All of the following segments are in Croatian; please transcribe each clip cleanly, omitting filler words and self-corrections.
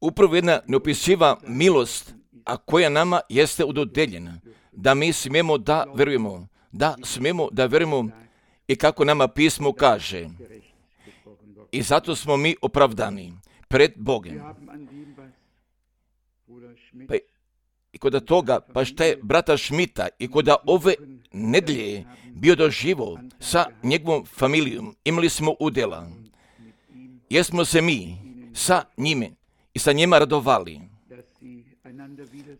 Upravo jedna neopisiva milost, a koja nama jeste udodeljena, da mi smijemo da verujemo i kako nama pismo kaže. I zato smo mi opravdani pred Bogom. Pa i kod toga, pa šta je brata Šmita i kod ove nedelje bio doživo sa njegovom familijom, imali smo udjela, jer smo se mi sa njime i sa njima radovali,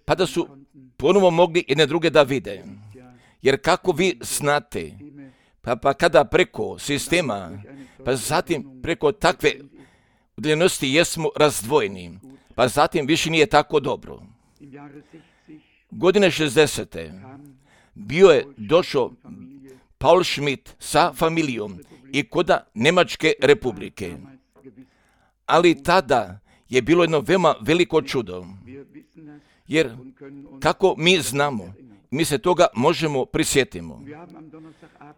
pa da su ponovo mogli jedne druge da vide. Jer kako vi znate, pa kada preko sistema, pa zatim preko takve udaljenosti jesmo razdvojeni, pa zatim više nije tako dobro. Godine 60. bio je došao Paul Schmidt sa familijom i kod Njemačke republike. Ali tada je bilo jedno veoma veliko čudo. Jer kako mi znamo, mi se toga možemo prisjetimo.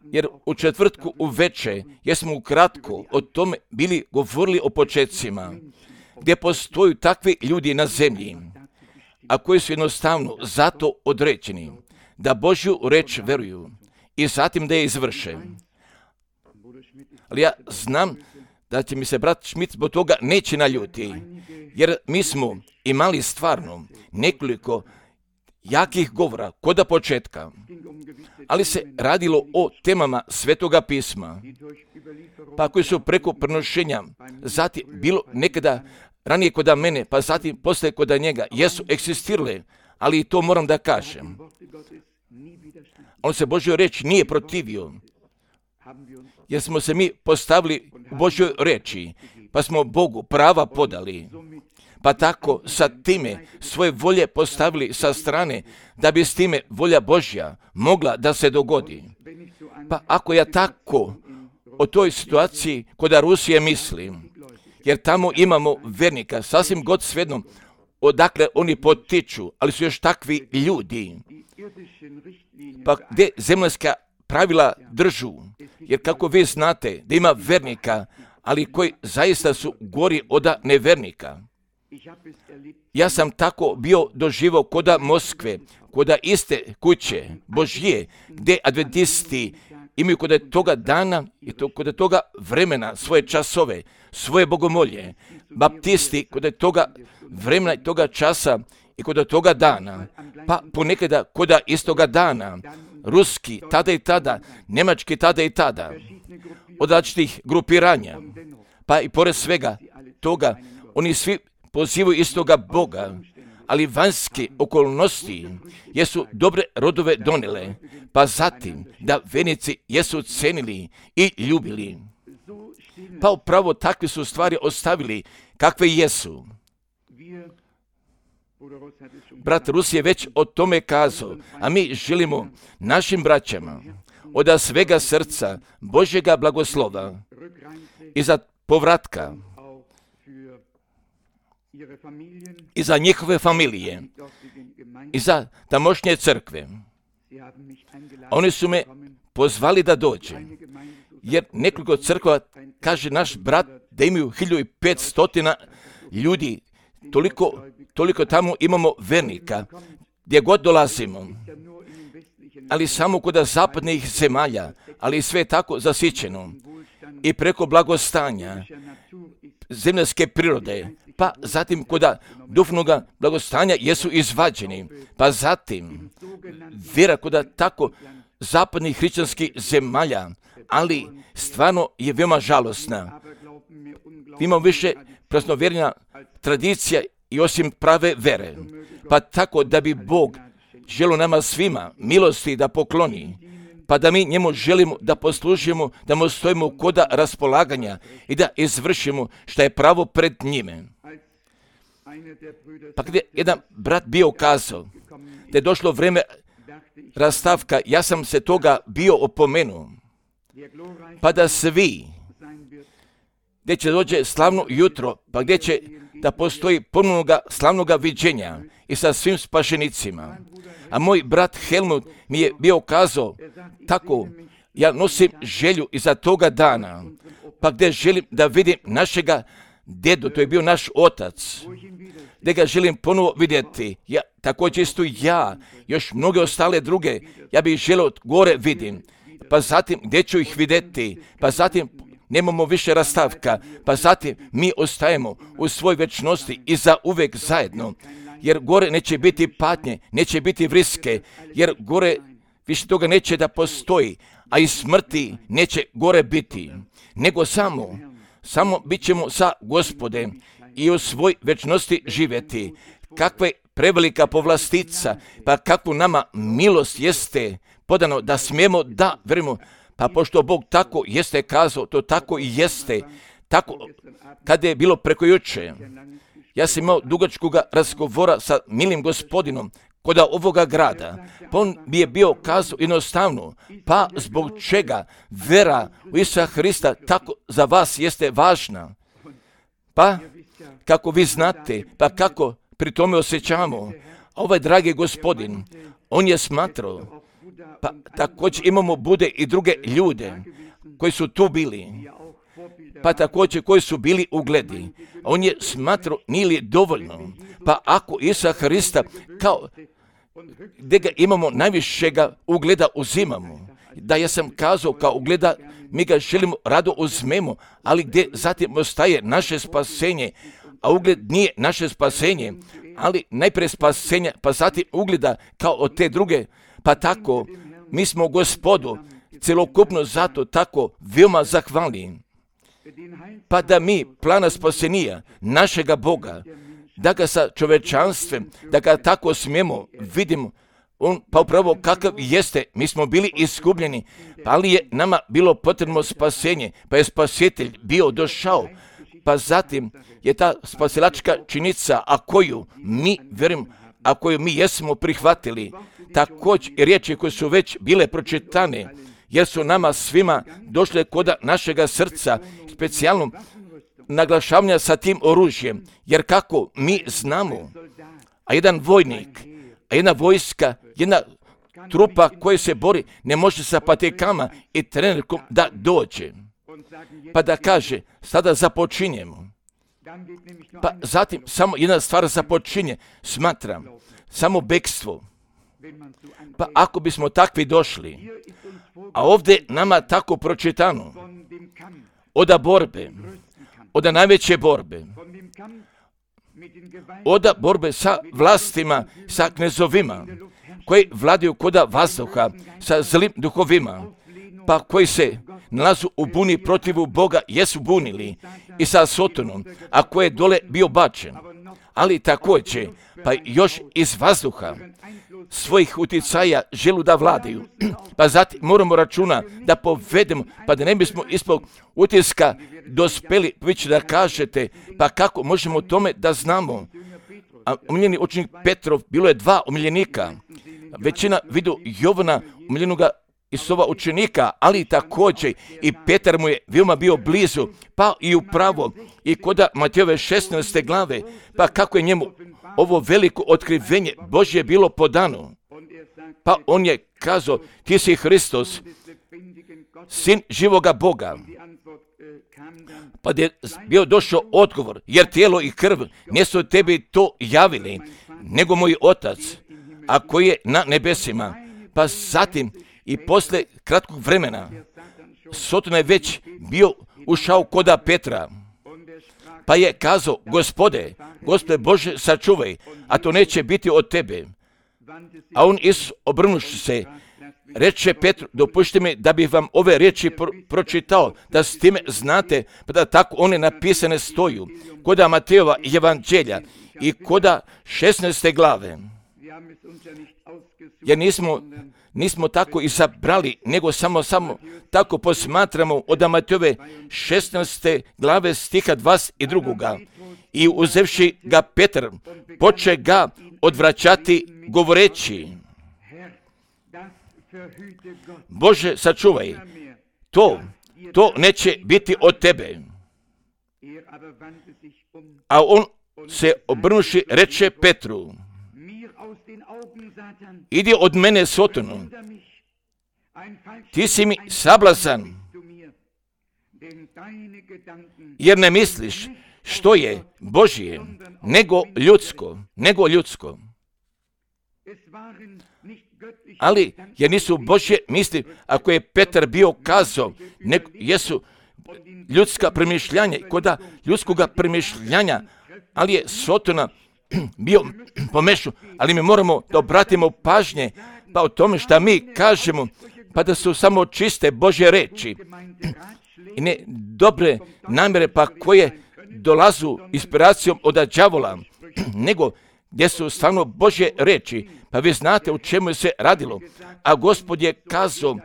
Jer u četvrtku uveče jesmo ukratko o tome bili govorili o početcima, gdje postoju takvi ljudi na zemlji, a koji su jednostavno zato određeni da Božju reč veruju i zatim da je izvrše. Ali ja znam da će mi se brat Schmidt zbog toga neće naljuti, jer mi smo imali stvarno nekoliko jakih govora kod početka, ali se radilo o temama Svetoga pisma, pa koji su preko prenošenja, zatim bilo nekada ranije kod mene, pa zatim poslije kod njega, jesu eksistirale, ali i to moram da kažem. On se Božjoj reči nije protivio, jer smo se mi postavili u Božjoj reči, pa smo Bogu prava podali, pa tako sa time svoje volje postavili sa strane, da bi s time volja Božja mogla da se dogodi. Pa ako ja tako o toj situaciji kod Rusije mislim, jer tamo imamo vernika, sasvim god svejedno odakle oni potiču, ali su još takvi ljudi, pa gdje zemaljska pravila držu, jer kako vi znate da ima vernika, ali koji zaista su gori od nevernika. Ja sam tako bio doživao kod Moskve, kod iste kuće Božje, gdje adventisti imaju kod toga dana i kod toga vremena svoje časove, svoje bogomolje. Baptisti kod toga vremena i toga časa i kod toga dana, pa ponekada kod istoga dana, ruski tada i tada, njemački tada i tada, od različitih grupiranja, pa i pored svega toga, oni svi pozivaju istoga Boga, ali vanjske okolnosti jesu dobre rodove donele, pa zatim da vernici jesu cenili i ljubili. Pa upravo takve su stvari ostavili kakve jesu. Brat Rus je već o tome kazao, a mi želimo našim braćama od svega srca Božjega blagoslova i za povratka i za njihove familije i za tamošnje crkve. Oni su me pozvali da dođem, jer nekoliko crkva, kaže naš brat, da imaju 1500 ljudi, toliko tamo imamo vernika, gdje god dolazimo, ali samo kod zapadnih zemalja, ali sve tako zasićeno i preko blagostanja zemljske prirode, pa zatim kod duhovnog blagostanja jesu izvađeni, pa zatim vjera kod tako zapadnih hrišćanskih zemalja, ali stvarno je veoma žalosna. Imamo više praznovjerna tradicija i osim prave vere, pa tako da bi Bog želio nama svima milosti da pokloni, pa da mi njemu želimo da poslužimo, da mu stojimo kod raspolaganja i da izvršimo što je pravo pred njime. Pa gdje jedan brat bio kazao da je došlo vrijeme rastavka, ja sam se toga bio opomenuo, pa da svi, gdje će dođe slavno jutro, pa gdje će da postoji ponovnoga slavnoga viđenja i sa svim spašenicima. A moj brat Helmut mi je bio kazao tako, Ja nosim želju iza toga dana, pa gdje želim da vidim našega dedu, to je bio naš otac, gdje ga želim ponovo vidjeti. Ja, također isto ja, još mnoge ostale druge, ja bih želio gore vidim. Pa zatim gdje ću ih vidjeti, pa zatim nemamo više rastavka, pa zatim mi ostajemo u svoj večnosti i za uvijek zajedno, jer gore neće biti patnje, neće biti vriske, jer gore više toga neće da postoji, a i smrti neće gore biti, nego samo bit ćemo sa Gospodem i u svoj večnosti živjeti. Kakva je prevelika povlastica, pa kakvu nama milost jeste podano da smijemo da verimo, pa pošto Bog tako jeste kazao, to tako i jeste. Tako, kada je bilo preko juče, ja sam imao dugačkoga razgovora sa milim Gospodinom kod ovoga grada, pa on bi je bio kazao jednostavno, pa zbog čega vera u Isusa Hrista tako za vas jeste važna. Pa, kako vi znate, pa kako pri tome osjećamo, ovaj dragi Gospodin, on je smatrao, pa također imamo bude i druge ljude koji su tu bili, pa također koji su bili ugledi. On je smatrao nije li dovoljno, pa ako Isusa Hrista kao gdje ga imamo najvišega ugleda uzimamo, da ja sam kazao kao ugleda mi ga želimo rado uzmemo, ali gdje zatim ostaje naše spasenje, a ugled nije naše spasenje, ali najprije spasenje, pa zatim ugleda kao od te druge, pa tako mi smo Gospodu celokupno zato tako veoma zahvalni, pa da mi plana spasenija našega Boga, da ga sa čovečanstvem, da ga tako smijemo vidimo, on pa upravo kakav jeste, mi smo bili izgubljeni, ali je nama bilo potrebno spasenje, pa je spasitelj bio došao, pa zatim je ta spasilačka činjenica, a koju mi verujemo, a koju mi jesmo prihvatili, također i riječi koje su već bile pročitane, jer su nama svima došle koda našega srca, specijalno naglašavanja sa tim oružjem, jer kako mi znamo, a jedan vojnik, a jedna vojska, jedna trupa koja se bori, ne može sa patikama i trenerkom da dođe, pa da kaže, sada započinjemo. Pa zatim samo jedna stvar započinje, smatram, samo bekstvo. Pa ako bismo takvi došli, a ovdje nama tako pročitano, oda borbe, oda najveće borbe, oda borbe sa vlastima, sa knezovima, koji vladaju koda vazduha, sa zlim duhovima, pa koji se nalazu u buni protivu Boga, jesu bunili, i sa Sotonom, a koji je dole bio bačen, ali također, pa još iz vazduha, svojih uticaja želu da vladaju, pa zatim moramo računa da povedemo, pa da ne bismo ispod utiska dospeli, vi ćete da kažete, pa kako možemo o tome da znamo. A omiljeni učenik Petrov, bilo je 2 omiljenika, većina vidu Jovana, omiljenoga Isova učenika, ali također i Petar mu je veoma bio blizu, pa i upravo i koda Matejove 16. glave, pa kako je njemu ovo veliko otkrivenje Božje bilo podano. Pa on je kazao, ti si Hristos, sin živoga Boga. Pa je bio došao odgovor, jer tijelo i krv nisu tebi to javili, nego moj Otac, a koji je na nebesima. Pa zatim i posle kratkog vremena, Soton je već bio ušao koda Petra, pa je kazao, Gospode Bože, sačuvaj, a to neće biti od tebe. A on obrnuši se, reče Petru, dopušti mi da bih vam ove riječi pročitao, da s time znate, pa da tako one napisane stoju, koda Matejova evanđelja i koda 16. glave. Jer nismo tako izabrali, nego samo tako posmatramo od Matejove 16. glave stiha 22. I uzevši ga Petar, poče ga odvraćati govoreći, Bože, sačuvaj, to neće biti od tebe. A on se obrnuši reče Petru, idi od mene, Sotonu, ti si mi sablazan, jer ne misliš što je Božje, nego ljudsko. Ali, jer nisu Božje misli, ako je Petar bio kazao, jesu ljudska premišljanja, koda ljudskoga premišljanja, ali je Sotona bio pomešao, ali mi moramo da obratimo pažnje pa o tome šta mi kažemo, pa da su samo čiste Božje reči i ne dobre namjere pa koje dolazu inspiracijom od đavola, nego gdje su stvarno Božje reči, pa vi znate u čemu je se radilo. A Gospod je kazao,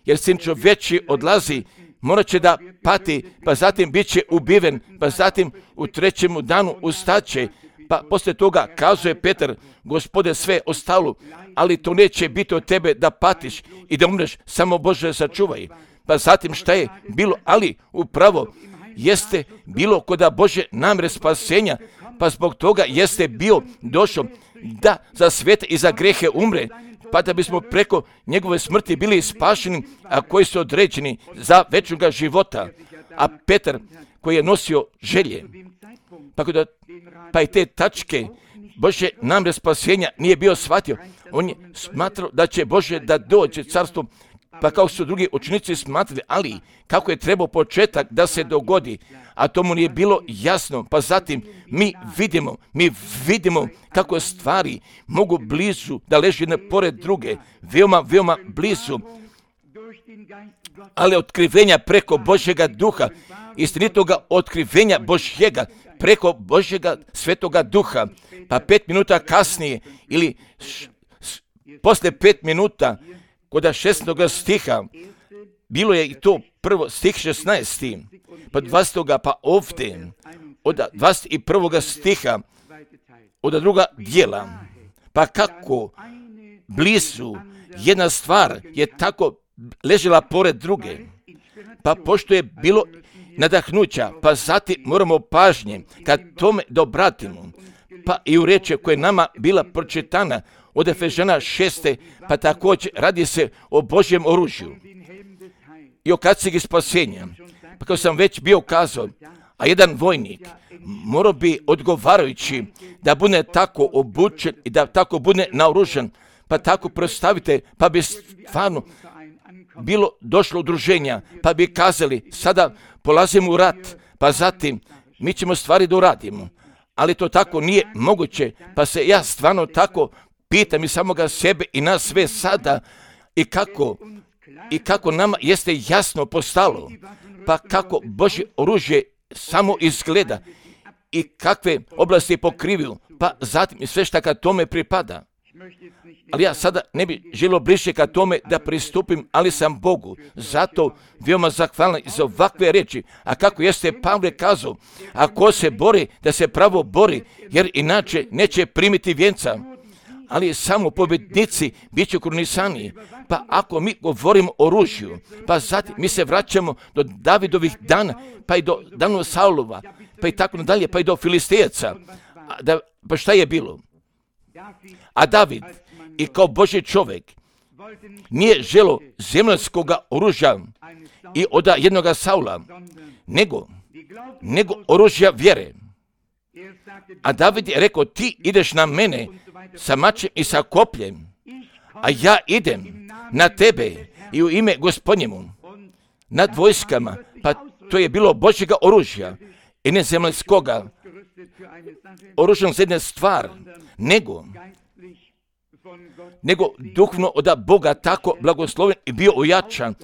jer Sin čovječji odlazi, morat će da pati, pa zatim bit će ubiven, pa zatim u trećemu danu ustaće, pa poslije toga kazuje Petar, Gospode, sve ostalo, ali to neće biti od tebe da patiš i da umreš, samo Bože sačuvaj. Pa zatim šta je bilo, ali upravo jeste bilo koda Bože namjere spasenja, pa zbog toga jeste bio došao da za svete i za grehe umre, pa da bismo preko njegove smrti bili spašeni, a koji su određeni za večnoga života. A Petar koji je nosio želje, pa i te tačke Bože namjere spasenja nije bio shvatio. On je smatrao da će Bože da dođe carstvo, pa kao su drugi učenici smatrali, ali kako je trebao početak da se dogodi, a to mu nije bilo jasno. Pa zatim mi vidimo kako stvari mogu blizu da leži jedne pored druge, veoma blizu, ali otkrivenja preko Božjega duha, istinitoga otkrivenja Božjega, preko Božjega svetoga duha, pa 5 minuta kasnije ili posle 5 minuta kod 16. stiha, bilo je i to prvo stih 16. pa 20. pa ovdje, od 21. stiha, od druga dijela, pa kako blizu jedna stvar je tako ležela pored druge, pa pošto je bilo nadahnuća, pa zatim moramo pažnje kad tome da obratimo, pa i u reči koja je nama bila pročitana od Efežana 6. pa također radi se o Božjem oružju i o kacigi spasenja. Pa kao sam već bio kazao, a jedan vojnik morao bi odgovarajući da bude tako obučen i da tako bude naoružan, pa tako predstavite, pa bi stvarno bilo došlo udruženja, pa bi kazali, sada polazimo u rat, pa zatim mi ćemo stvari da uradimo. Ali to tako nije moguće, pa se ja stvarno tako pitam i samoga sebe i nas sve sada i kako nama jeste jasno postalo, pa kako Božje oružje samo izgleda i kakve oblasti pokrivaju, pa zatim i sve šta kad tome pripada. Ali ja sada ne bi želio bliže ka tome da pristupim, ali sam Bogu zato veoma zahvalan za ovakve reči. A kako jeste Pavle kazao, ako se bori, da se pravo bori, jer inače neće primiti vjenca. Ali samo pobjednici bit će krunisani. Pa ako mi govorimo o oružju, pa zatim mi se vraćamo do Davidovih dana, pa i do dana Saulova, pa i tako nadalje, pa i do Filistejaca. Pa šta je bilo? A David i kao Božji čovjek nije želo zemaljskoga oružja i od jednoga Saula, nego oružja vjere. A David je rekao, ti ideš na mene sa mačem i sa kopljem, a ja idem na tebe i u ime Gospodnjemu nad vojskama. Pa to je bilo Božjega oružja i ne zemaljskoga oružja za jednu stvar, nego duhovno od Boga tako blagosloven i bio ojačan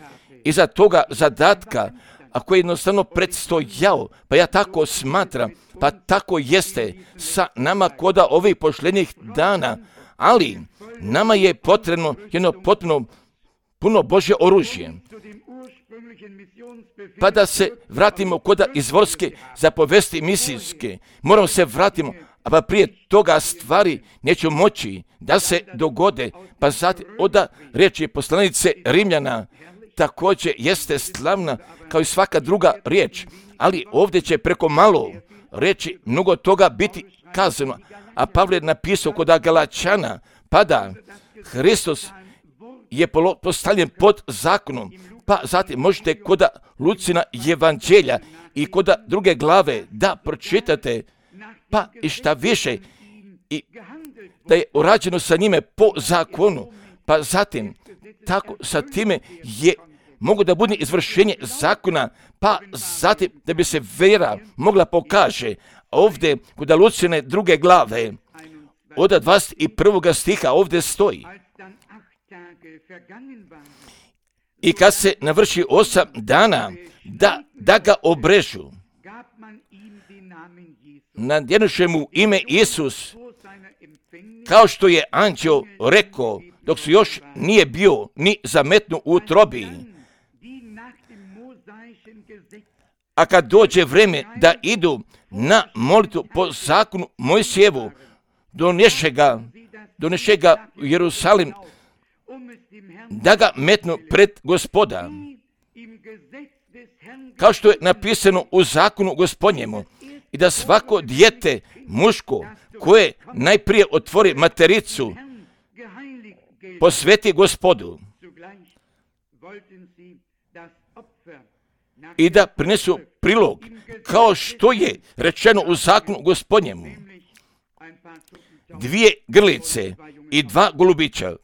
iza toga zadatka, a koji je jednostavno predstojao, pa ja tako smatram, pa tako jeste sa nama koda ovih posljednjih dana, ali nama je potrebno jedno potpuno puno Božje oružje. Pa da se vratimo koda izvorske zapovesti misijske, moramo se vratimo, a pa prije toga stvari neće moći da se dogode, pa zatim od riječi poslanice Rimljana također jeste slavna kao i svaka druga riječ, ali ovdje će preko malo reći mnogo toga biti kazano, a Pavle je napisao kod Galačana, pa da Hristos je postavljen pod zakonom, pa zatim možete kod Lucina evanđelja i kod druge glave da pročitate, pa i šta više, i da je urađeno sa njime po zakonu, pa zatim tako sa time je mogu da bude izvršenje zakona, pa zatim da bi se vera mogla pokaže. Ovdje kod Lucine druge glave od 21. stiha ovdje stoji: i kad se navrši 8 dana da ga obrežu, nadjenuše mu ime Isus, kao što je anđeo rekao, dok su još nije bio ni zametnu u utrobi. A kad dođe vreme da idu na molitvu po zakonu Mojsijevu, doneše ga u Jerusalim, da ga metnu pred Gospoda, kao što je napisano u zakonu Gospodnjemu, i da svako dijete muško koje najprije otvori matericu posveti Gospodu, i da prinesu prilog, kao što je rečeno u zakonu Gospodnjemu, 2 grlice i 2 golubića.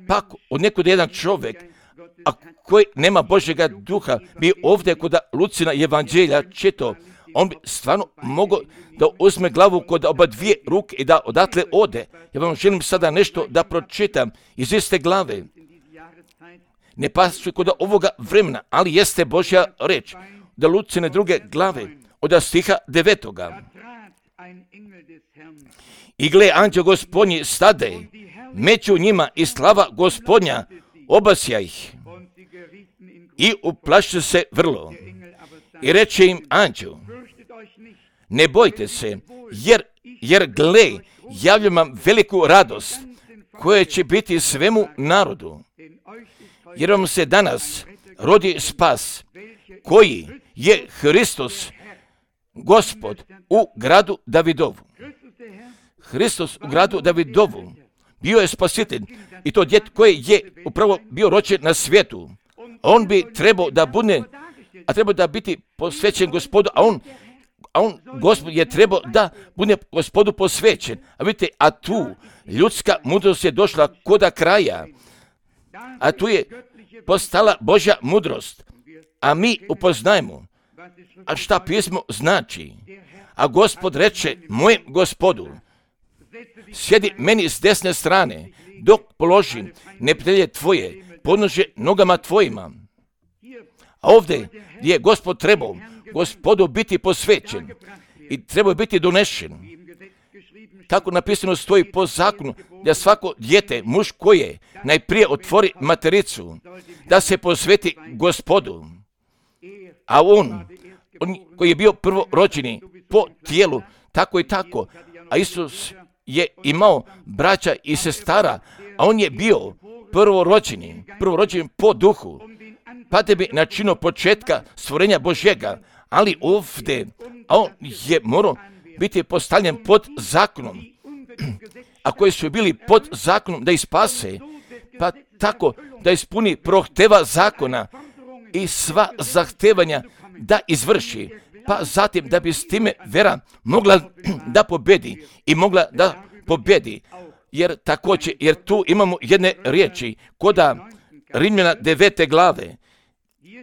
Pa od nekud jedan čovjek, a koji nema Božjega duha, bi ovdje kod Lucina evanđelja čitao, on bi stvarno mogao da uzme glavu kod oba dvije ruke i da odatle ode. Ja vam želim sada nešto da pročitam iz iste glave. Ne pasu kod ovoga vremena, ali jeste Božja reč. Da Lucine druge glave od stiha 9. I gle, anđeo Gospodnji stade među njima i slava Gospodnja obasja ih. I uplaše se vrlo. I reče im anđel: ne bojte se, jer gle, javljam vam veliku radost, koja će biti svemu narodu. Jer vam se danas rodi spas, koji je Hristos, Gospod u gradu Davidovu. Hristos u gradu Davidovu bio je spasitelj, i to djete koji je upravo bio rođen na svijetu. On bi trebao da bude, a trebao da biti posvećen Gospodu, a on Gospod je trebao da bude Gospodu posvećen. A vidite, a tu ljudska mudrost je došla koda kraja, a tu je postala Božja mudrost, a mi upoznajemo, a šta pismo znači. A Gospod reče mojem Gospodu: sjedi meni s desne strane, dok položim neprijatelje tvoje podnože nogama tvojima. A ovdje je Gospod trebao Gospodu biti posvećen i trebao biti donešen. Kako napisano stoji po zakonu, da svako dijete, muž koje najprije otvori matericu, da se posveti Gospodu. A on koji je bio prvorođeni po tijelu, tako i tako, a Isus je imao braća i sestara, a on je bio prvorođeni po duhu, pa da bi načinio početka stvorenja Božjega, ali ovdje on je morao biti postavljen pod zakonom, a koji su bili pod zakonom da ih spase, pa tako da ispuni prohteva zakona i sva zahtevanja da izvrši, pa zatim da bi s time vera mogla da pobedi i mogla da pobedi. Jer tu imamo jedne riječi koda Rimljana 9. glave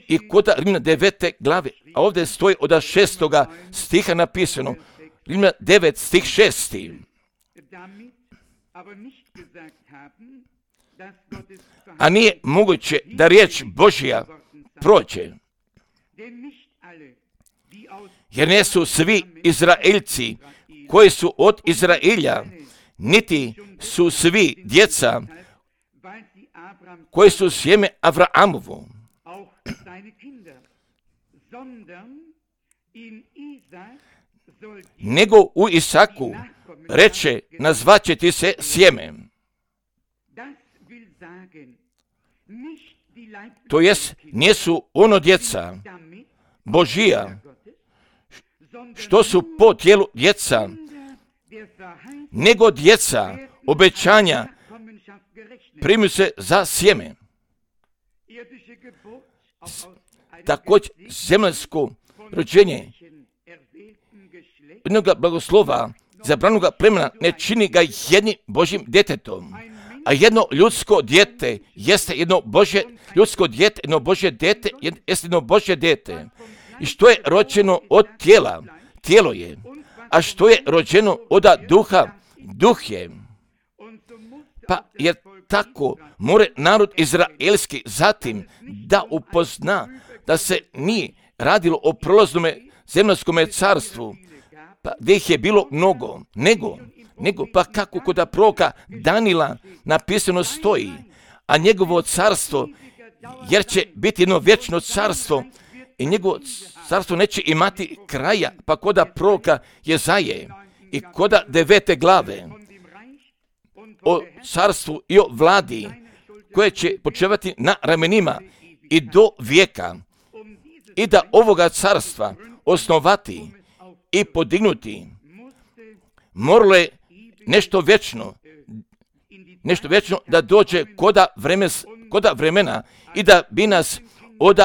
i koda Rimljana 9. glave, a ovdje stoji od 6. stiha napisano, Rimljana 9. stih 6. A nije moguće da riječ Božja prođe, jer ne su svi Izraeljci koji su od Izraelja, niti su svi djeca koji su sjeme Avraamovo. Nego u Isaku reče, nazvaće ti se sjeme. To jest, nisu ono djeca Božija, što su po tijelu djeca, nego djeca obećanja primaju se za sjeme. Također zemaljsko rođenje jednog blagoslova zabranoga plemena ne čini ga jednim Božjim djetetom, a jedno ljudsko dijete jeste jedno Božje ljudsko dijete, jedno Božje dijete jeste jedno Božje dijete. I što je rođeno od tijela, tijelo je, a što je rođeno od duha, duh je. Pa jer tako more narod izraelski zatim da upozna da se nije radilo o prolaznome zemaljskome carstvu, pa gdje ih je bilo mnogo, nego pa kako kod proroka Danila napisano stoji, a njegovo carstvo, jer će biti jedno vječno carstvo i njegovo carstvo neće imati kraja, pa kod proroka Jezaje i kod 9. glave o carstvu i o vladi koje će počevati na ramenima i do vijeka i da ovoga carstva osnovati i podignuti moralo je nešto vječno da dođe koda vremena i da bi nas od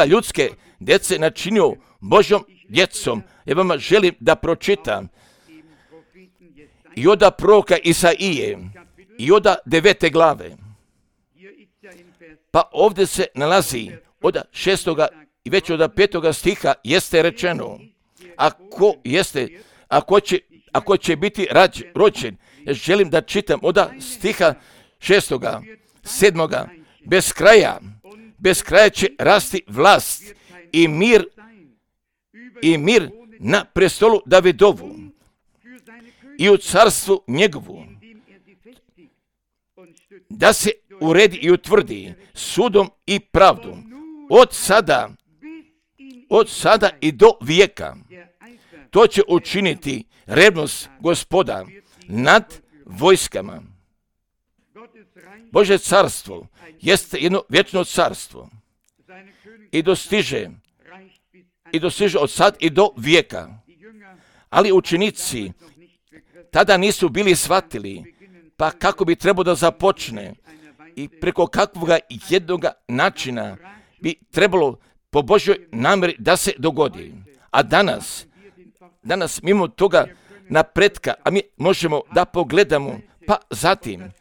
ljudske djece načinio Božjom djecom. Ja vama želim da pročitam i od proroka Isaije i od 9. glave. Pa ovdje se nalazi od 6. i već od 5. stiha jeste rečeno, ako će biti rođen, ja želim da čitam od stiha 6. 7. bez kraja će rasti vlast i mir na prestolu Davidovu i u carstvu njegovu, da se uredi i utvrdi sudom i pravdom od sada i do vijeka. To će učiniti revnost Gospoda nad vojskama. Božje carstvo jeste jedno vječno carstvo i dostiže od sad i do vijeka. Ali učenici tada nisu bili shvatili, pa kako bi trebalo da započne i preko kakvoga jednog načina bi trebalo po Božjoj namjeri da se dogodi. A danas mimo toga napretka, a mi možemo da pogledamo, pa zatim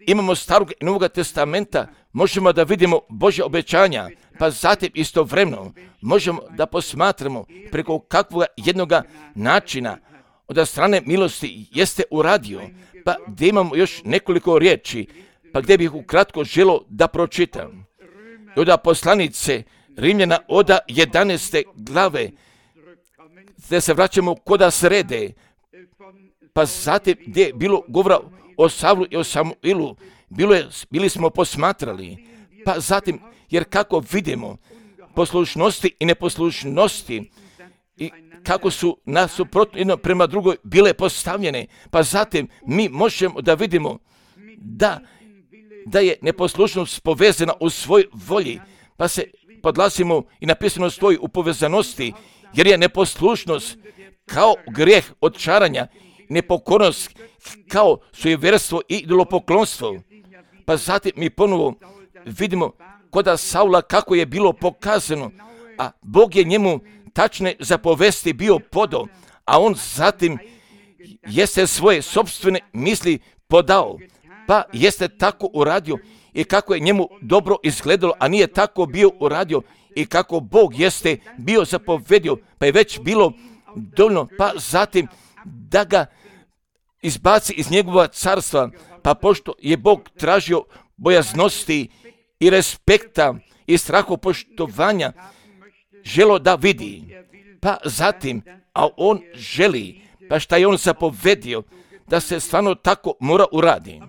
imamo Starog i Novog testamenta, možemo da vidimo Božja obećanja, pa zatim istovremeno možemo da posmatramo preko kakvog jednog načina od strane milosti jeste uradio, pa gdje imamo još nekoliko riječi, pa gdje bih ukratko želio da pročitam. Od poslanice Rimljana od 11. glave, gdje se vraćamo koda srede, pa zatim gdje je bilo govora o Savlu i o Samuilu, bili smo posmatrali, pa zatim, jer kako vidimo poslušnosti i neposlušnosti i kako su nasuprotno jedno prema drugoj bile postavljene, pa zatim mi možemo da vidimo da je neposlušnost povezana u svoj volji, pa se podlasimo i napisano stoji u povezanosti, jer je neposlušnost kao grijeh odčaranja, nepokornost kao sujeverstvo i idolopoklonstvo. Pa zatim mi ponovo vidimo koda Saula kako je bilo pokazano, a Bog je njemu tačne zapovesti bio podao, a on zatim jeste svoje sopstvene misli podao, pa jeste tako uradio i kako je njemu dobro izgledalo, a nije tako bio uradio i kako Bog jeste bio zapovedio, pa je već bilo dovoljno, pa zatim da ga izbaci iz njegova carstva, pa pošto je Bog tražio bojaznosti i respekta i strahopoštovanja, želo da vidi, pa zatim, a on želi, pa šta je on zapovedio, da se stvarno tako mora uradi.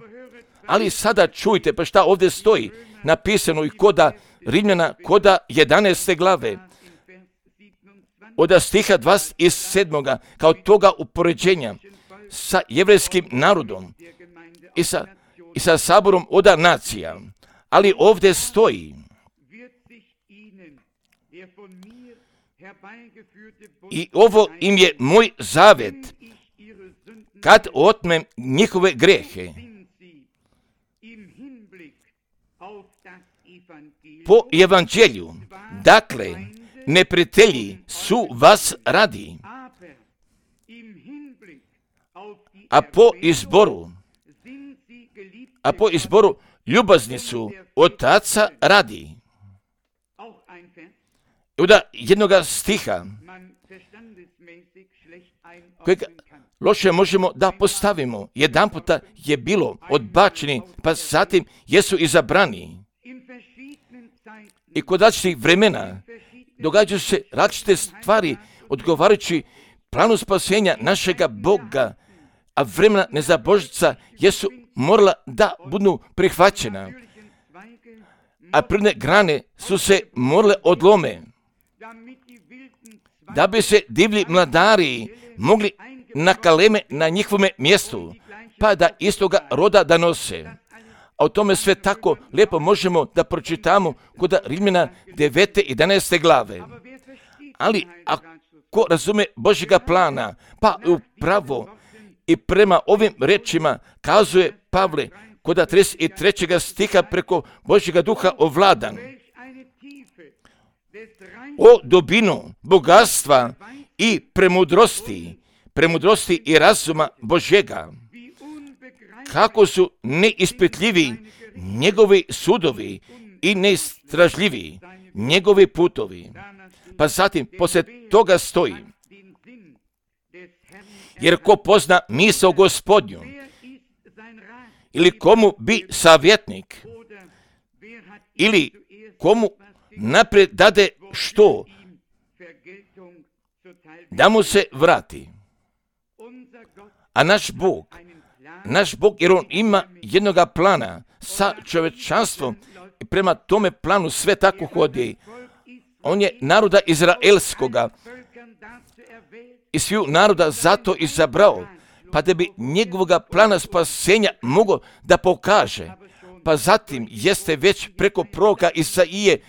Ali sada čujte, pa šta ovdje stoji, napisano i koda Rimljana, koda 11. glave, od stiha 27. kao toga upoređenja sa jevrejskim narodom i sa saborom od nacija. Ali ovdje stoji i ovo im je moj zavet kad otmem njihove grehe. Po evanđelju, dakle, neprijatelji su vas radi, a po izboru ljubazni su od Oca radi. Onda jednoga stiha kojeg loše možemo da postavimo. Jedan puta je bilo odbačeni, pa zatim jesu izabrani. I kod različitih vremena događaju se različite stvari odgovarajući planu spasenja našega Boga, a vremena nezabožica jesu morala da budu prihvaćena, a prirodne grane su se morale odlome, da bi se divlji mladari mogli na kaleme na njihovome mjestu, pa da istoga roda da nose. A o tome sve tako lijepo možemo da pročitamo kod Rimljana 9. i 11. glave. Ali ako razume Božjega plana, pa upravo i prema ovim rečima kazuje Pavle kod 33. stiha preko Božjega duha ovladan. O dubinu bogatstva i premudrosti i razuma Božjega, kako su neispitljivi njegovi sudovi i neistražljivi njegovi putovi. Pa zatim poslije toga stoji: jer ko pozna misao Gospodnju, ili komu bi savjetnik, ili komu naprijed dade što, da mu se vrati. A naš Bog, jer on ima jednoga plana sa čovječanstvom i prema tome planu sve tako hodi. On je naroda izraelskoga i sviju naroda zato izabrao, pa da bi njegovoga plana spasenja mogao da pokaže. Pa zatim jeste već preko proroka Isaije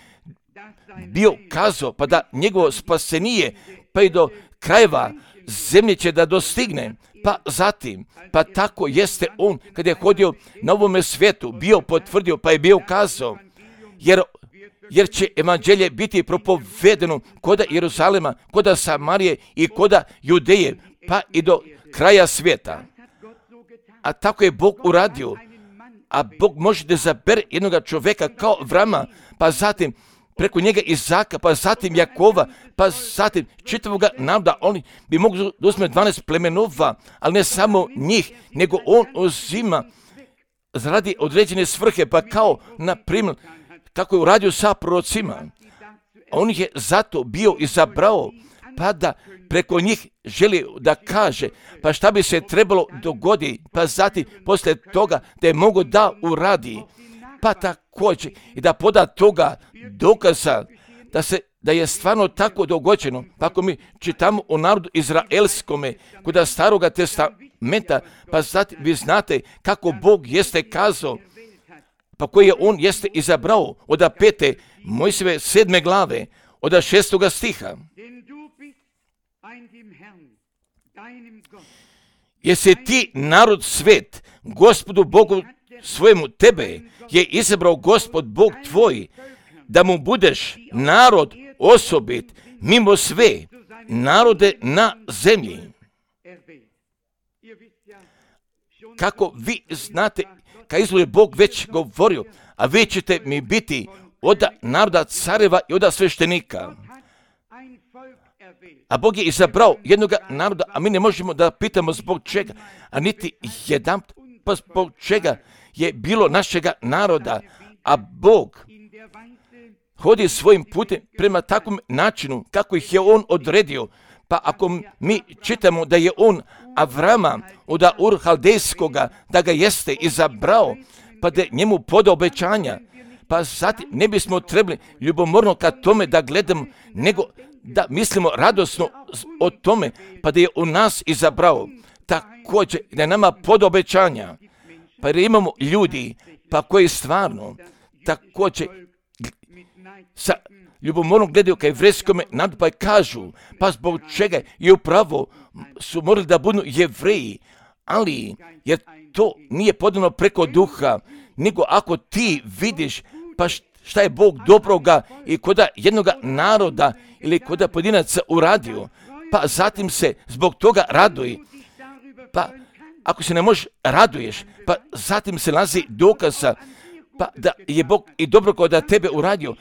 bio kazao, pa da njegovo spasenije pa i do krajeva zemlje će da dostigne. Pa zatim, pa tako jeste on kad je hodio na ovome svijetu, bio potvrdio, pa je bio kazao, jer će evanđelje biti propovedeno koda Jeruzalema, koda Samarije i koda Judeje, pa i do kraja svijeta. A tako je Bog uradio. A Bog može da izabere jednoga čovjeka kao Avrama, pa zatim preko njega Izaka, pa zatim Jakova, pa zatim čitavoga naroda. Oni bi mogli da uzme 12 plemenova, ali ne samo njih, nego on uzima radi određene svrhe, pa kao na primjer kako je uradio sa prorocima. On ih je zato bio izabrao, pa da preko njih želi da kaže, pa šta bi se trebalo dogoditi, pa zatim poslije toga da je mogo da uradi, pa također i da poda toga dokaza da je stvarno tako dogođeno. Pa ako mi čitamo o narodu izraelskome kod Staroga testamenta, pa zatim vi znate kako Bog jeste kazao, pa koji je on jeste izabrao od 5. Mojsijeve 7. glave, od 6. stiha. Jesi ti narod svet, Gospodu Bogu svojemu tebe je izabrao Gospod Bog tvoj, da mu budeš narod osobit mimo sve narode na zemlji. Kako vi znate, kad izgleda Bog već govorio, a vi ćete mi biti od naroda careva i od sveštenika. A Bog je izabrao jednoga naroda, a mi ne možemo da pitamo zbog čega, a niti jedan, pa zbog čega je bilo našega naroda, a Bog hodi svojim putem prema takvom načinu kako ih je on odredio. Pa ako mi čitamo da je on Avrama od Ur Haldejskoga, da ga jeste izabrao, pa da njemu podao obećanja, pa zatim ne bismo trebali ljubomorno ka tome da gledamo, nego da mislimo radosno o tome, pa da je u nas izabrao. Također da je nama podao obećanja, pa da imamo ljudi, pa koji stvarno također sa ljubomornom gledaju ka jevrejskome narodu, pa kažu, pa zbog čega je upravo su morali da budu Jevreji, ali jer to nije podano preko duha, nego ako ti vidiš pa šta je Bog dobroga i koda jednoga naroda ili koda pojedinaca uradio, pa zatim se zbog toga raduj. Pa ako se ne možeš raduješ, pa zatim se nalazi dokaza pa da je Bog i dobro koda tebe uradio,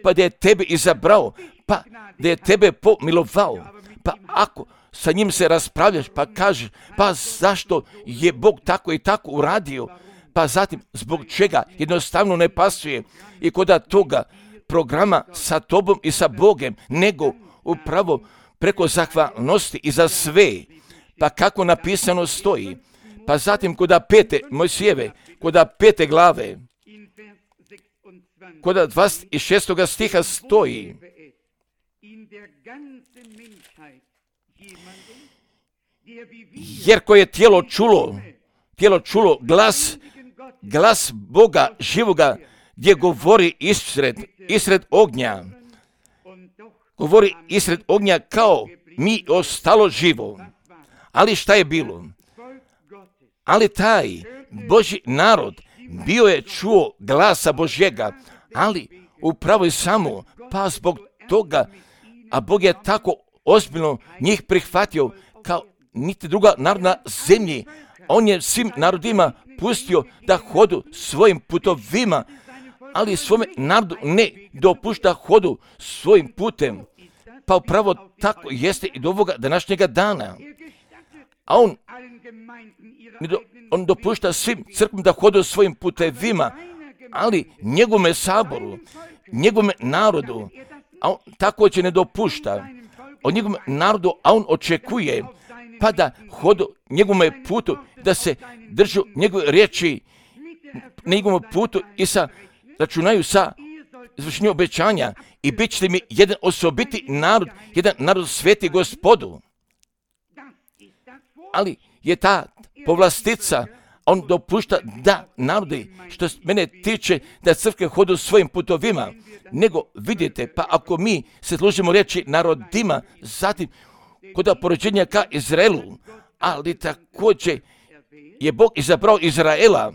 pa da je tebe izabrao, pa da je tebe pomilovao. Pa ako sa njim se raspravljaš, pa kažeš, pa zašto je Bog tako i tako uradio, pa zatim zbog čega jednostavno ne pasuje i koda toga programa sa tobom i sa Bogem, nego upravo preko zahvalnosti i za sve, pa kako napisano stoji, pa zatim koda 5. Mojsijeve, koda 5. glave, koda 26. stiha stoji, jer koje je tijelo čulo glas Boga živoga, gdje govori isred ognja, govori isred ognja kao mi ostalo živo. Ali šta je bilo? Ali taj Božji narod bio je čuo glasa Božjega, ali upravo i samo, pa zbog toga, a Bog je tako ozbiljno njih prihvatio kao niti druga naroda na zemlji. On je svim narodima pustio da hodu svojim putovima, ali svome narodu ne dopušta hodu svojim putem. Pa upravo tako jeste i do ovoga današnjega dana. A on dopušta svim crkvom da hodu svojim putevima, ali njegovome saboru, njegovome narodu, a on također ne dopušta. Od njegovom narodu, a on očekuje pa da hodu njegovome putu, da se držu njegove riječi na njegovom putu i računaju sa izvršenjem obećanja i bit će mi jedan osobiti narod, jedan narod sveti Gospodu. Ali je ta povlastica, on dopušta da narodi, što mene tiče, da crkve hodu svojim putovima, nego vidite, pa ako mi se služimo riječi narodima, zatim kod porođenja ka Izraelu, ali također je Bog izabrao Izraela,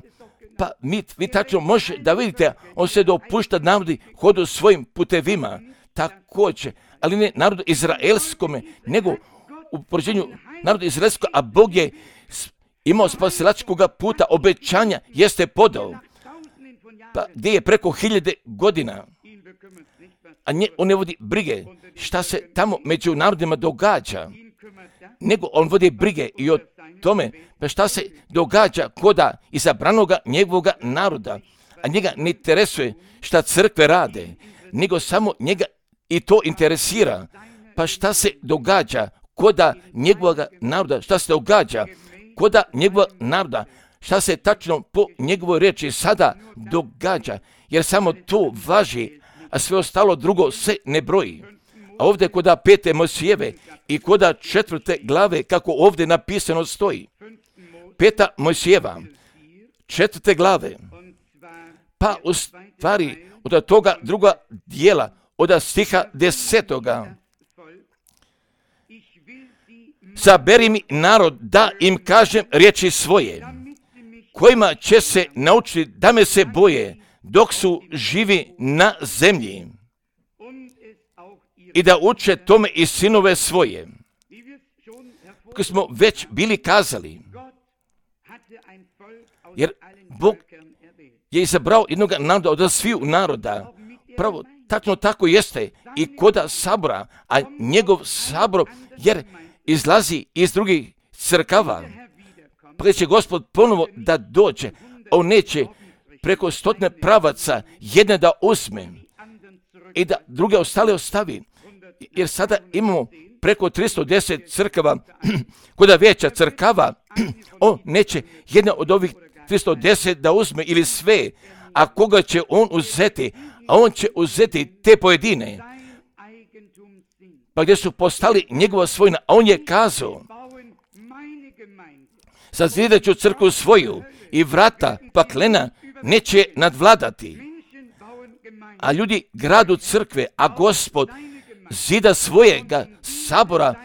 pa vi tačno možete da vidite, on se dopušta narodi hodu svojim putevima, također, ali ne narodu izraelskome, nego u porođenju narodu izraelskog, a Bog je imao spasilačkoga puta, obećanja jeste podao, pa gdje je preko 1000 godina, a on ne vodi brige šta se tamo među narodima događa, nego on vodi brige i o tome pa šta se događa koda izabranoga njegovoga naroda, a njega ne interesuje šta crkve rade, nego samo njega i to interesira, pa šta se događa koda njegovoga naroda, šta se događa koda njegovog naroda, šta se tačno po njegovoj riječi sada događa, jer samo to važi, a sve ostalo drugo se ne broji. A ovdje koda 5. Mojsijeve i koda 4. glave, kako ovdje napisano stoji, 5. Mojsijeva, 4. glave, pa u stvari od toga druga dijela, od stiha 10. Saberi mi narod da im kažem riječi svoje, kojima će se naučiti da me se boje dok su živi na zemlji i da uče tome i sinove svoje. Kako smo već bili kazali, jer Bog je izabrao jednog naroda od sviju naroda. Pravo, tačno tako jeste i koda sabora, a njegov sabor jer izlazi iz drugih crkava. Pa će Gospod ponovo da dođe, on neće preko 100 pravaca jedne da uzme i da druge ostale ostavi. Jer sada imamo preko 310 crkava, koda veća crkava, on neće jedna od ovih 310 da uzme ili sve, a koga će on uzeti, a on će uzeti te pojedine, pa gdje su postali njegova svojina, a on je kazao, sazidat ću crkvu svoju i vrata paklena neće nadvladati. a ljudi gradu crkve, a Gospod zida svojega sabora,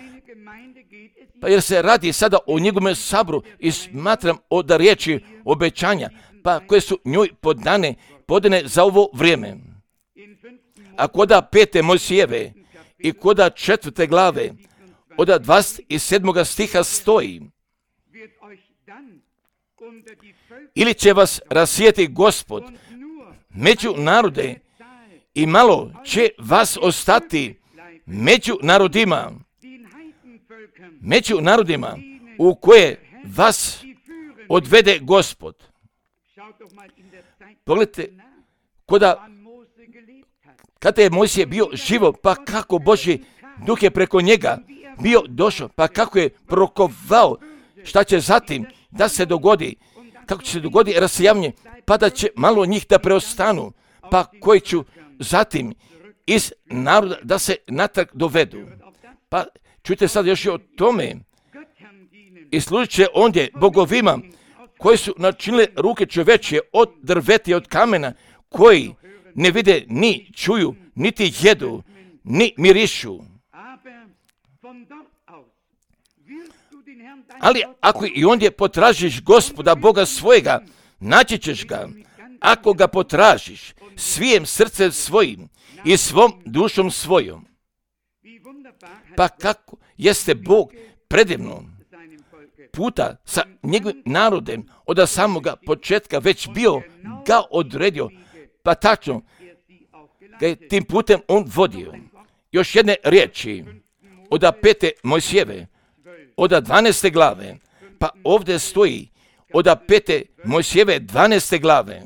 pa jer se radi sada o njegovom saboru i smatram od riječi obećanja, pa koje su njoj podane za ovo vrijeme. A koda 5. Mojsijeve i koda 4. glave, od 27. stiha stoji: ili će vas rasijeti Gospod među narode i malo će vas ostati među narodima u koje vas odvede Gospod. Pogledajte, kada je Mojsije bio živo, pa kako Božji duh je preko njega bio došao, pa kako je prorokovao šta će zatim da se dogodi, kako će se dogodi rasijavanje, pa da će malo njih da preostanu, pa koji ću zatim iz naroda da se natrag dovedu. Pa čujte sad još i o tome. I služit će ondje bogovima koji su načinili ruke čovečje od drveta i od kamena, koji ne vide, ni čuju, niti jedu, ni mirišu. Ali ako i ondje potražiš Gospoda Boga svojega, naći ćeš ga. Ako ga potražiš svijem srcem svojim i svom dušom svojom. Pa kako jeste Bog predivno puta sa njegovim narodem od samoga početka već bio ga odredio, pa tačno ga je tim putem on vodio. Još jedne riječi od 5. Mojsijeve, od 12. glave, pa ovdje stoji od 5. Mojsijeve 12. glave,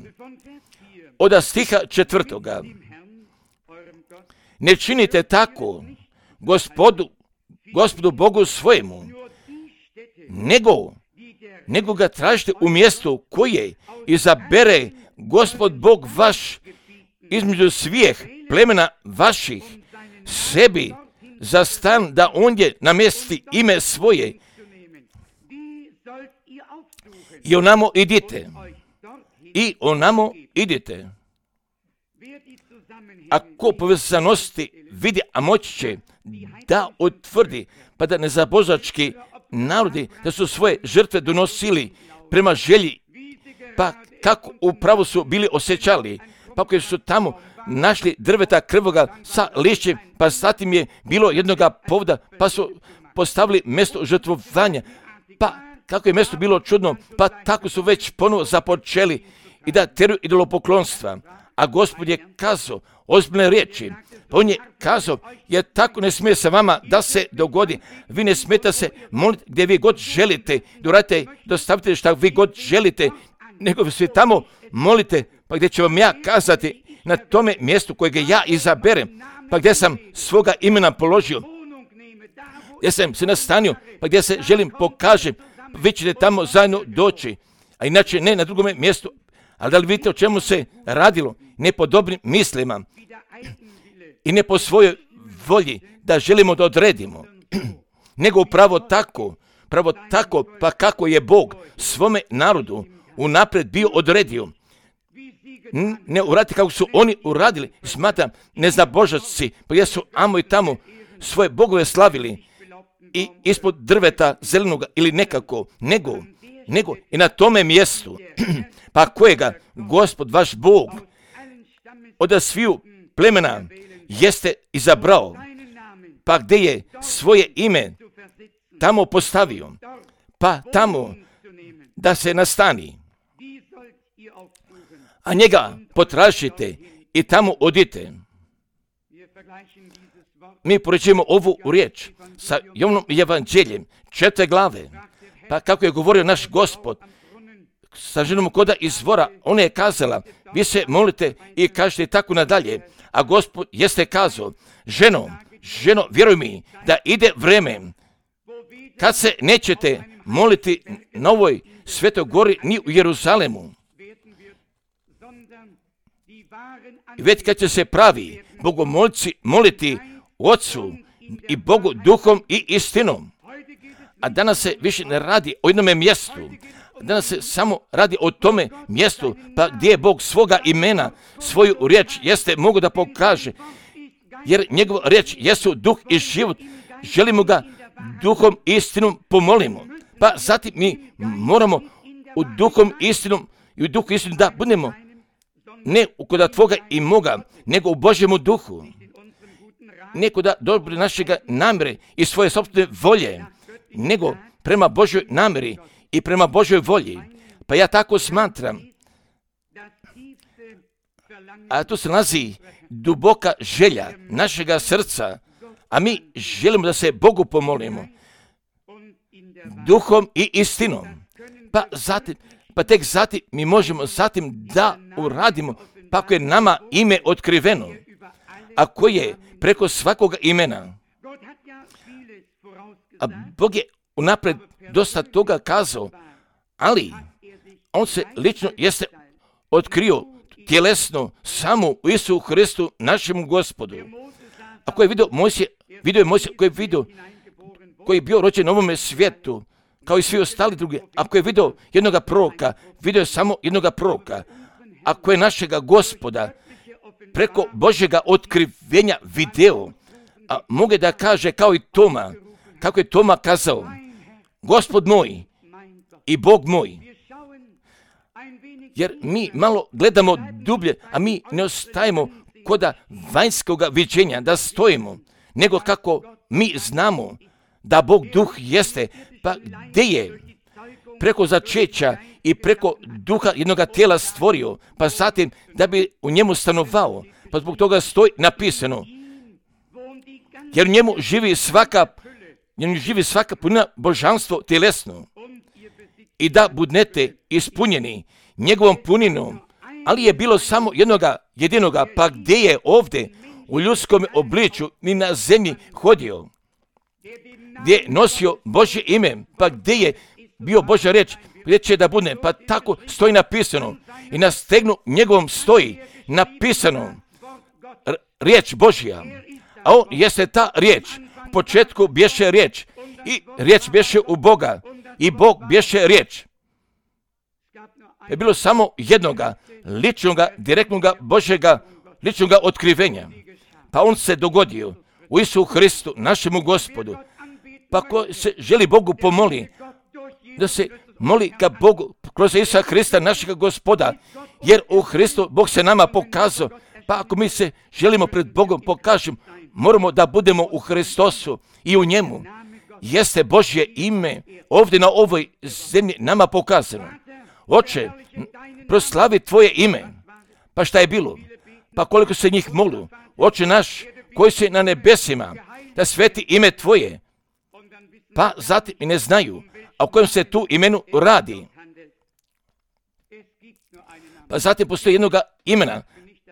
od stiha 4. Ne činite tako Gospodu Bogu svojemu, nego ga tražite u mjestu koje izabere Gospod Bog vaš između svih plemena vaših sebi za stan, da ondje namjesti ime svoje. I onamo idite. Ako povezanosti vidi, a moći će da utvrdi, pa da nezabožački narodi da su svoje žrtve donosili prema želji, pa kako upravo su bili osjećali, pa koji su tamo našli drveta krvoga sa lišćem, pa zatim je bilo jednoga povoda, pa su postavili mjesto žrtvovanja, pa kako je mjesto bilo čudno, pa tako su već ponovo započeli i da teruju idolopoklonstva. A Gospod je kazao ozbiljne riječi, pa on je kazao, jer tako ne smije se vama da se dogodi. Vi ne smijete se moliti gdje vi god želite, dostavite šta vi god želite, nego se tamo molite, pa gdje ću vam ja kazati na tome mjestu kojega ja izaberem, pa gdje sam svoga imena položio, gdje sam se nastanio, pa gdje se želim pokažem, pa vi ćete tamo zajedno doći, a inače ne na drugome mjestu. Ali da li vidite o čemu se radilo? Ne po dobrim mislima i ne po svojoj volji da želimo da odredimo, nego upravo tako, pa kako je Bog svome narodu unaprijed bio odredio. Ne uraditi kako su oni uradili, smatram neznabožaci, pa gdje su amo i tamo svoje bogove slavili i ispod drveta zelenoga ili nekako, nego i na tome mjestu, pa kojega Gospod vaš Bog od sviju plemena jeste izabrao, pa gdje je svoje ime tamo postavio, pa tamo da se nastani. A njega potražite i tamo odite. Mi poređujemo ovu riječ sa Jovanom evanđeljem 4. glave, pa kako je govorio naš Gospod sa ženom koda izvora, ona je kazala, vi se molite i kažete tako nadalje, a Gospod jeste kazao, ženo, vjeruj mi da ide vreme kad se nećete moliti na ovoj svetoj gori ni u Jeruzalemu, već kad će se pravi bogomolci moliti Otcu i Bogu duhom i istinom. A danas se više ne radi o jednome mjestu, danas se samo radi o tome mjestu, pa gdje je Bog svoga imena, svoju riječ jeste mogu da pokaže, jer njegova riječ jesu duh i život. Želimo ga duhom i istinom pomolimo. Pa zatim mi moramo u duhom istinom i u duhu istinom da budemo ne kod tvoga i moga, nego u Božjemu duhu. Ne kod dobre našega namjere i svoje sopstvene volje, nego prema Božjoj namjeri i prema Božjoj volji. Pa ja tako smatram, a tu se nalazi duboka želja našega srca, a mi želimo da se Bogu pomolimo duhom i istinom. Pa tek zatim mi možemo zatim da uradimo, pa ako je nama ime otkriveno, a koje je preko svakoga imena. A Bog je unaprijed dosta toga kazao, ali on se lično jeste otkrio tjelesno samo u Isusu Hristu, našemu Gospodu. Ako je vidio Mojsije koji je bio rođen na ovome svijetu, kao i svi ostali drugi, ako je vidio jednoga proroka, vidio je samo jednoga proroka. Ako je našega Gospoda preko Božjega otkrivenja video, a mogu da kaže kao i Toma, kako je Toma kazao, Gospod moj i Bog moj. Jer mi malo gledamo dublje, a mi ne ostajemo kod vanjskoga viđenja da stojimo, nego kako mi znamo da Bog duh jeste, pa gdje je preko začeća i preko duha jednoga tijela stvorio, pa zatim da bi u njemu stanovao, pa zbog toga stoji napisano, jer u njemu živi svaka punina božanstvo tjelesno i da budete ispunjeni njegovom puninom, ali je bilo samo jedinoga, pa gdje je ovdje u ljudskom obličju ni na zemlji hodio, gdje je nosio Božje ime, pa gdje je bio Božja riječ, gdje će da bude, pa tako stoji napisano i na stegnu njegovom stoji napisano riječ Božja, a on jeste ta riječ. U početku bješe riječ i riječ bješe u Boga i Bog bješe riječ. Je bilo samo jednoga ličnoga, direktnoga Božjega ličnoga otkrivenja. Pa on se dogodio u Isusu Hristu, našemu Gospodu. Pa ko se želi Bogu pomoli, da se moli ka Bogu kroz Isusa Hrista, našega Gospoda, jer u Hristu Bog se nama pokazao. Pa ako mi se želimo pred Bogom pokažemo, moramo da budemo u Hristosu i u njemu. Jeste Božje ime ovdje na ovoj zemlji nama pokazano. Oče, proslavi tvoje ime. Pa šta je bilo? Pa koliko se njih molu. Oče naš, koji si na nebesima, da sveti ime tvoje. Pa zatim i ne znaju, a o kojem se tu imenu radi. Pa zatim postoji jednoga imena.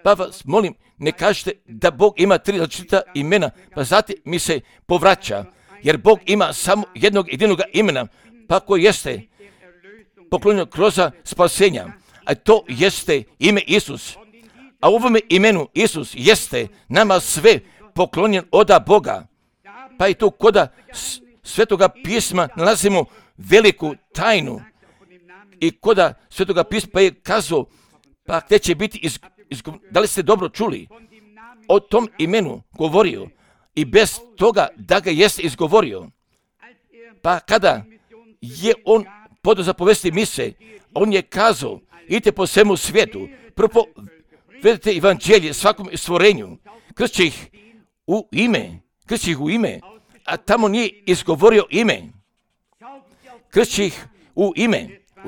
Pa vas molim, ne kažete da Bog ima 3 različita imena, pa zatim mi se povraća, jer Bog ima samo jednog jedinog imena, pa koje jeste poklonjeno kroz spasenja, a to jeste ime Isus. A u ovome imenu Isus jeste nama sve poklonjen od Boga. Pa i tu koda Svetoga pisma nalazimo veliku tajnu. I koda Svetoga pisma pa je kazao, pa gdje će biti da li ste dobro čuli? O tom imenu govorio i bez toga da ga jeste izgovorio. Pa kada je on podao zapovesti mise, on je kazao, idite po svemu svijetu, propovedite evanđelje svakom stvorenju, kršće ih u ime, a tamo nije izgovorio ime. Kršće ih u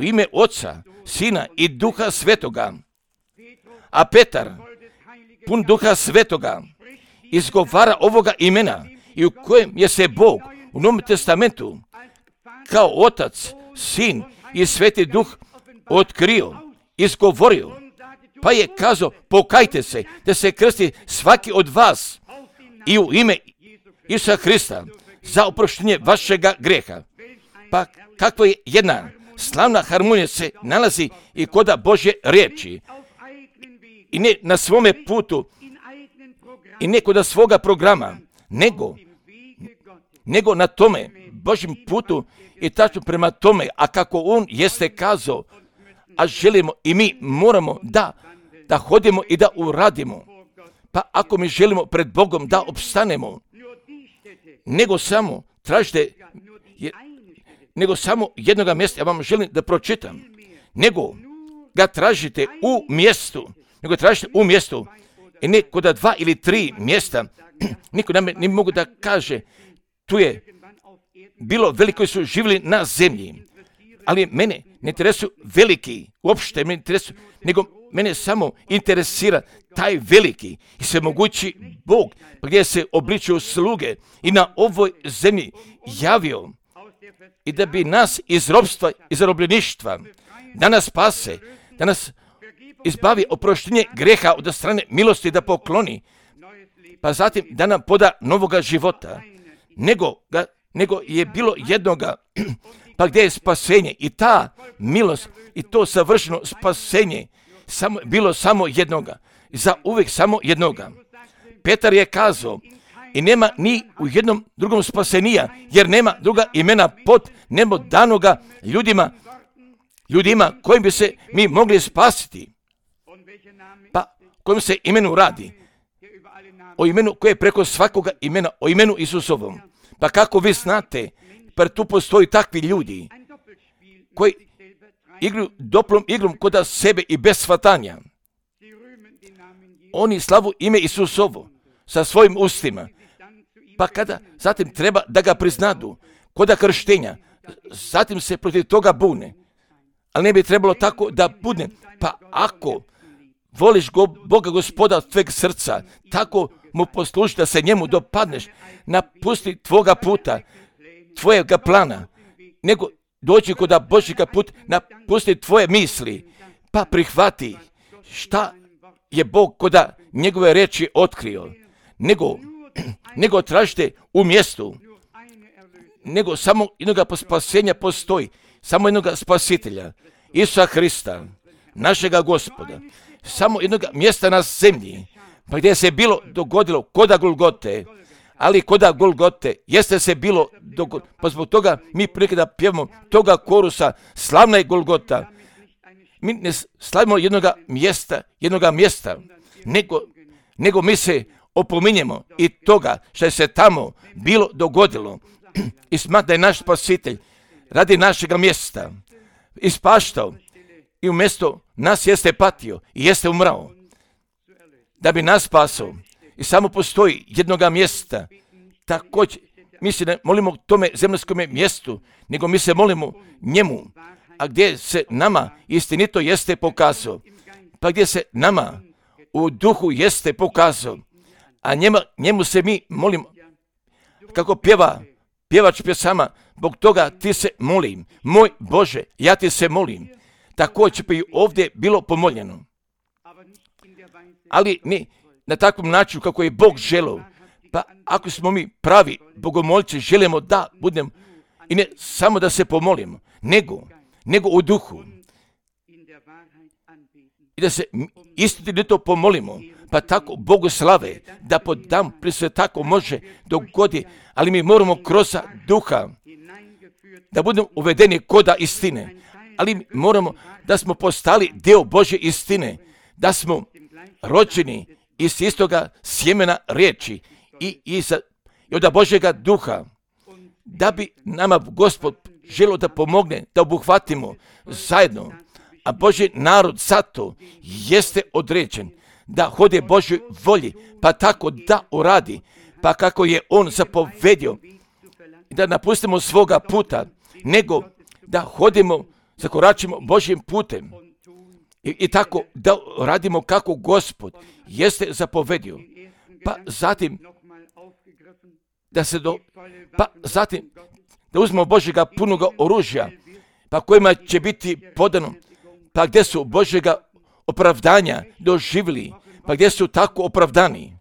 ime Oca, Sina i Duha Svetoga. A Petar, pun Duha Svetoga, izgovara ovoga imena i u kojem je se Bog u Novom testamentu kao Otac, Sin i Sveti Duh otkrio, izgovorio, pa je kazao, pokajte se, da se krsti svaki od vas i u ime Isusa Hrista za oproštenje vašega greha. Pa kakva je jedna slavna harmonija se nalazi i koda Božje riječi. I ne na svome putu i ne kod svoga programa, nego na tome Božjem putu i tačno prema tome, a kako on jeste kazao, a želimo i mi moramo da hodimo i da uradimo. Pa ako mi želimo pred Bogom da opstanemo, nego samo tražite, nego samo jednoga mjesta, ja vam želim da pročitam, nego ga tražite u mjestu, i ne kod 2 ili 3 mjesta. Niko nam ne mogu da kaže, tu je bilo veliki koji su živjeli na zemlji, ali mene ne interesuju veliki, uopšte me interesuju, nego mene samo interesira taj veliki i svemogući Bog, gdje se obličuju sluge i na ovoj zemlji javio i da bi nas iz ropstva i zarobljeništva da nas spase, da nas izbavi oproštenje greha od strane milosti da pokloni, pa zatim da nam poda novoga života, nego je bilo jednoga, pa gdje je spasenje i ta milost i to savršeno spasenje bilo samo jednoga, za uvijek samo jednoga. Petar je kazao, i nema ni u jednom drugom spasenija, jer nema druga imena pod nebo danoga ljudima kojim bi se mi mogli spasiti. Pa kojim se imenu radi? O imenu koje je preko svakoga imena, o imenu Isusovom. Pa kako vi znate, pa tu postoji takvi ljudi koji igraju doplom igrom kod sebe i bez shvatanja. Oni slavu ime Isusovo sa svojim ustima. Pa kada zatim treba da ga priznadu kod krštenja, zatim se protiv toga bune. Ali ne bi trebalo tako da bude. Pa ako voliš Boga Gospoda od tvojeg srca, tako mu posluži da se njemu dopadneš, napusti tvoga puta, tvojega plana, nego dođi kod Božjega puta, napusti tvoje misli, pa prihvati šta je Bog kod njegove reči otkrio, nego tražite u mjestu, nego samo jednoga spasenja postoji, samo jednoga spasitelja, Isusa Hrista, našega Gospoda, samo jednoga mjesta na zemlji, pa gdje se bilo dogodilo koda Golgote, ali koda Golgote jeste se bilo dogodilo, pa zbog toga mi prilike da pjevamo toga korusa, slavna je Golgota. Mi ne slavimo jednoga mjesta, nego mi se opominjemo i toga što je se tamo bilo dogodilo i smatra da je naš spasitelj radi našega mjesta ispaštao i umjesto nas jeste patio i jeste umrao da bi nas spasao. I samo postoji jednoga mjesta. Također, mi se ne molimo tome zemaljskome mjestu, nego mi se molimo njemu, a gdje se nama istinito jeste pokazao, pa gdje se nama u duhu jeste pokazao, a njemu se mi molimo, kako pjevač pjesama, zbog toga ti se molim, moj Bože, ja ti se molim. Također bi ovdje bilo pomoljeno, ali ne na takvom načinu kako je Bog želeo. Pa ako smo mi pravi bogomolci, želimo da budemo i ne samo da se pomolimo, nego u duhu i da se istinito pomolimo, pa tako Bogu slave, da podam prije sve tako može dogodi, ali mi moramo kroz duha da budemo uvedeni koda istine, ali moramo da smo postali dio Božje istine, da smo rođeni iz istoga sjemena riječi i od Božjega duha, da bi nama Gospod želio da pomogne, da obuhvatimo zajedno, a Božji narod zato jeste određen da hode Božjoj volji, pa tako da uradi, pa kako je on zapovedio, da napustimo svoga puta, nego da hodimo, zakoračimo Božjim putem i tako da radimo kako Gospod jeste zapovedio. Pa zatim da uzmemo Božjega punoga oružja, pa kojima će biti podano, pa gdje su Božjega opravdanja doživjeli, pa gdje su tako opravdani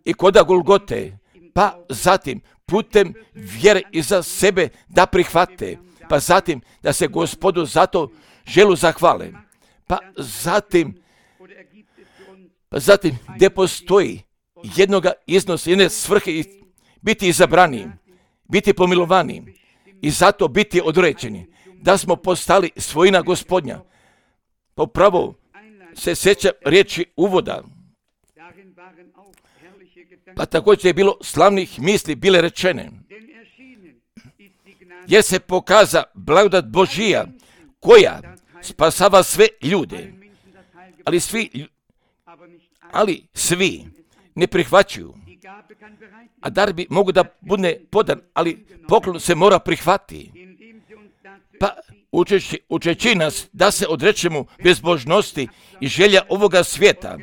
i koda Golgote, pa zatim putem vjere iza sebe da prihvate, pa zatim da se Gospodu zato želu zahvale, pa zatim gdje postoji jednoga iznosa, jedne svrhe biti izabrani biti pomilovani i zato biti određeni, da smo postali svojina Gospodnja. Popravo se sjeća riječi uvoda, pa također je bilo slavnih misli bile rečene, jer se pokaza blagodat Božija koja spasava sve ljude, ali svi ne prihvaćaju. A dar bi mogu da bude podan, ali poklon se mora prihvatiti. Pa učeći nas da se odrećemo bezbožnosti i želja ovoga svijeta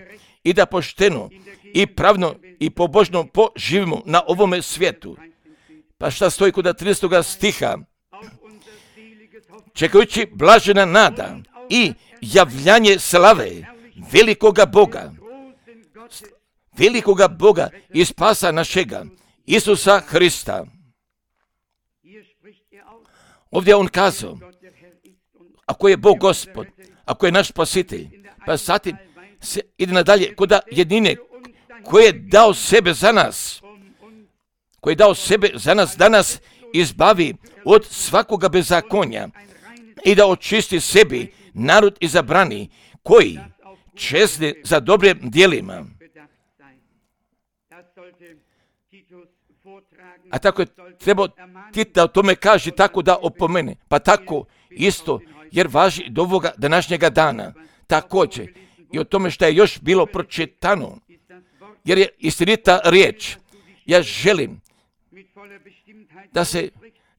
i da pošteno i pravno i pobožno poživimo na ovome svijetu. Pa šta stoji kod 13. stiha? Čekajući blažena nada i javljanje slave velikoga Boga i spasa našega, Isusa Hrista. Ovdje on kazao, ako je Bog Gospod, ako je naš spasitelj, pa zatim se ide nadalje kod jedine koji je dao sebe za nas, da nas izbavi od svakoga bezakonja i da očisti sebi narod izabrani koji čezne za dobrim djelima. A tako je trebao Tit da o tome kaže, tako da opomene. Pa tako isto, jer važi do ovoga današnjega dana. Također i o tome što je još bilo pročitano, jer je istinita riječ. Ja želim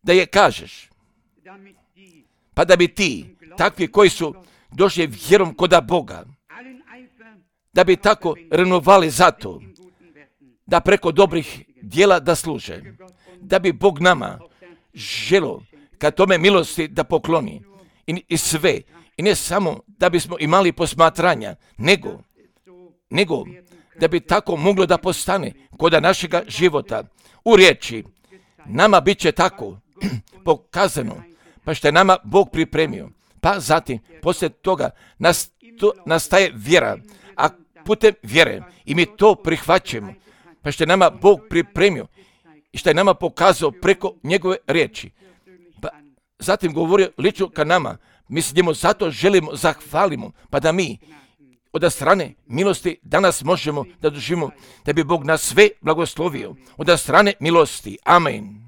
da je kažeš, pa da bi ti, takvi koji su došli vjerom koda Boga, da bi tako renovali zato, da preko dobrih djela da služe, da bi Bog nama želo ka tome milosti da pokloni i sve, i ne samo da bismo imali posmatranja, nego da bi tako moglo da postane koda našega života. U riječi, nama bit će tako pokazano, pa što je nama Bog pripremio. Pa zatim, poslije toga nastaje vjera, a putem vjere i mi to prihvaćamo, pa što je nama Bog pripremio i što je nama pokazao preko njegove riječi. Pa zatim govorio lično ka nama, mi se njemu zato želimo, zahvalimo, pa da mi od strane milosti danas možemo da doživimo, da bi Bog nas sve blagoslovio. Od strane milosti. Amen.